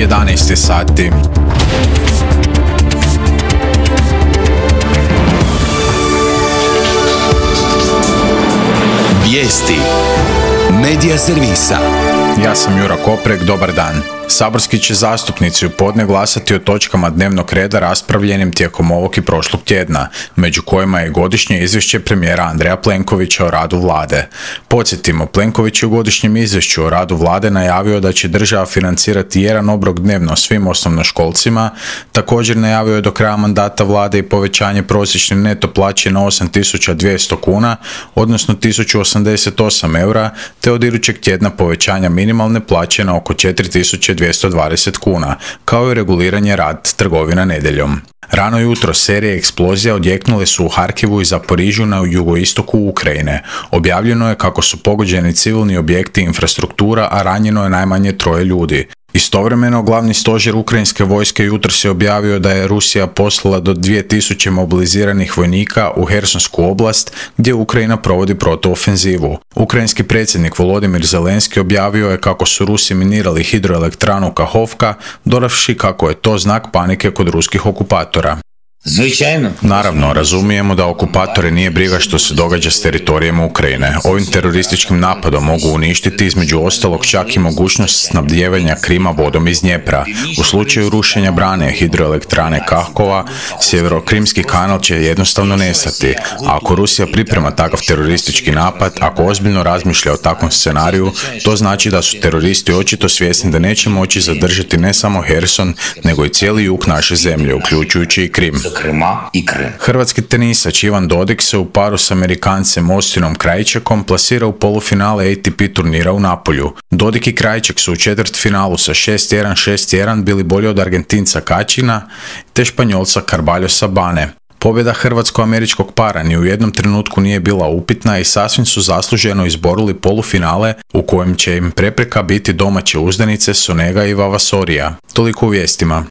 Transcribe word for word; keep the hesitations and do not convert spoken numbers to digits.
jedanaest sati. Vijesti Medija servisa. Ja sam Jura Koprek, dobar dan. Saborski će zastupnici u podne glasati o točkama dnevnog reda raspravljenim tijekom ovog i prošlog tjedna, među kojima je godišnje izvješće premijera Andreja Plenkovića o radu vlade. Podsjetimo, Plenković je u godišnjem izvješću o radu vlade najavio da će država financirati jedan obrok dnevno svim osnovnoškolcima, također najavio je do kraja mandata vlade i povećanje prosječne neto plaće na osam tisuća dvjesto kuna, odnosno tisuću osamdeset osam eura, te od idućeg tjedna povećanja minimalne plaće na oko četiri tisuće dvjesto dvadeset kuna, kao i reguliranje rad trgovina nedjeljom. Rano jutro serije eksplozija odjeknule su u Harkivu i Zaporižju na jugoistoku Ukrajine. Objavljeno je kako su pogođeni civilni objekti i infrastruktura, a ranjeno je najmanje troje ljudi. Istovremeno, glavni stožer ukrajinske vojske jutros je objavio da je Rusija poslala do dvije tisuće mobiliziranih vojnika u Hersonsku oblast, gdje Ukrajina provodi protuofenzivu. Ukrajinski predsjednik Volodimir Zelenski objavio je kako su Rusi minirali hidroelektranu Kahovka, dodavši kako je to znak panike kod ruskih okupatora. Naravno, razumijemo da okupatore nije briga što se događa s teritorijem Ukrajine. Ovim terorističkim napadom mogu uništiti između ostalog čak i mogućnost snabdijevanja Krima vodom iz Dnjepra. U slučaju rušenja brane hidroelektrane Kahkova, sjeverokrimski kanal će jednostavno nestati. A ako Rusija priprema takav teroristički napad, ako ozbiljno razmišlja o takvom scenariju, to znači da su teroristi očito svjesni da neće moći zadržati ne samo Herson, nego i cijeli jug naše zemlje, uključujući i Krim. Hrvatski tenisač Ivan Dodig se u paru s Amerikancem Austinom Krajčekom plasira u polufinale A T P turnira u Napolju. Dodig i Krajček su u četvrtfinalu sa šest jedan šest jedan bili bolji od Argentinca Kačina te Španjolca Carballosa Bane. Pobjeda hrvatsko-američkog para ni u jednom trenutku nije bila upitna i sasvim su zasluženo izborili polufinale u kojem će im prepreka biti domaće uzdanice Sonega i Vavasorija. Toliko u vijestima.